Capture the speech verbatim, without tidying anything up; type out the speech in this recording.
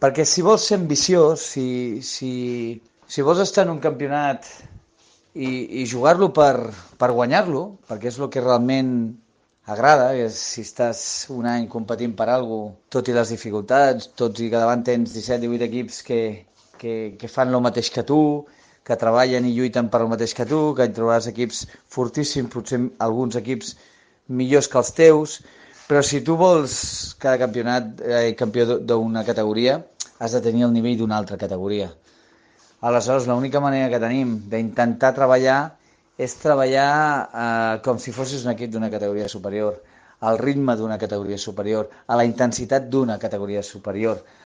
Perquè si vols ser ambiciós, si, si, si vols estar en un campionat i, i jugar-lo per, per guanyar-lo, perquè és el que realment agrada, que és si estàs un any competint per alguna cosa, tot i les dificultats, tots i que davant tens disset divuit equips que, que, que fan el mateix que tu, que treballen i lluiten per el mateix que tu, que hi trobaràs equips fortíssims, potser alguns equips millors que els teus, però si tu vols cada campionat eh, campió d'una categoria, has de tenir el nivell d'una altra categoria. Aleshores, l'única manera que tenim d'intentar treballar és treballar eh, com si fossis un equip d'una categoria superior, al ritme d'una categoria superior, a la intensitat d'una categoria superior.